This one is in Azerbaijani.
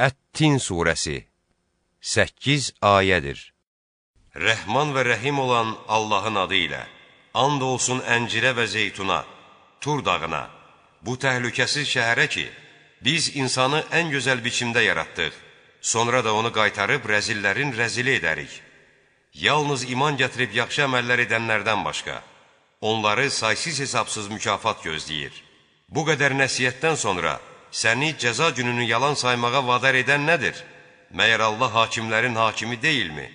Ət-Tin surəsi 8 ayədir. Rəhman və rəhim olan Allahın adı ilə, and olsun əncirə və zeytuna, Tur dağına, bu təhlükəsiz şəhərə ki, biz insanı ən gözəl biçimdə yaratdıq, sonra da onu qaytarıb rəzillərin rəzili edərik. Yalnız iman gətirib yaxşı əməllər edənlərdən başqa, onları saysız hesabsız mükafat gözləyir. Bu qədər nəsiyyətdən sonra, səni cəza gününü yalan saymağa vadar edən nədir? Məyər Allah hakimlərin hakimi deyilmi?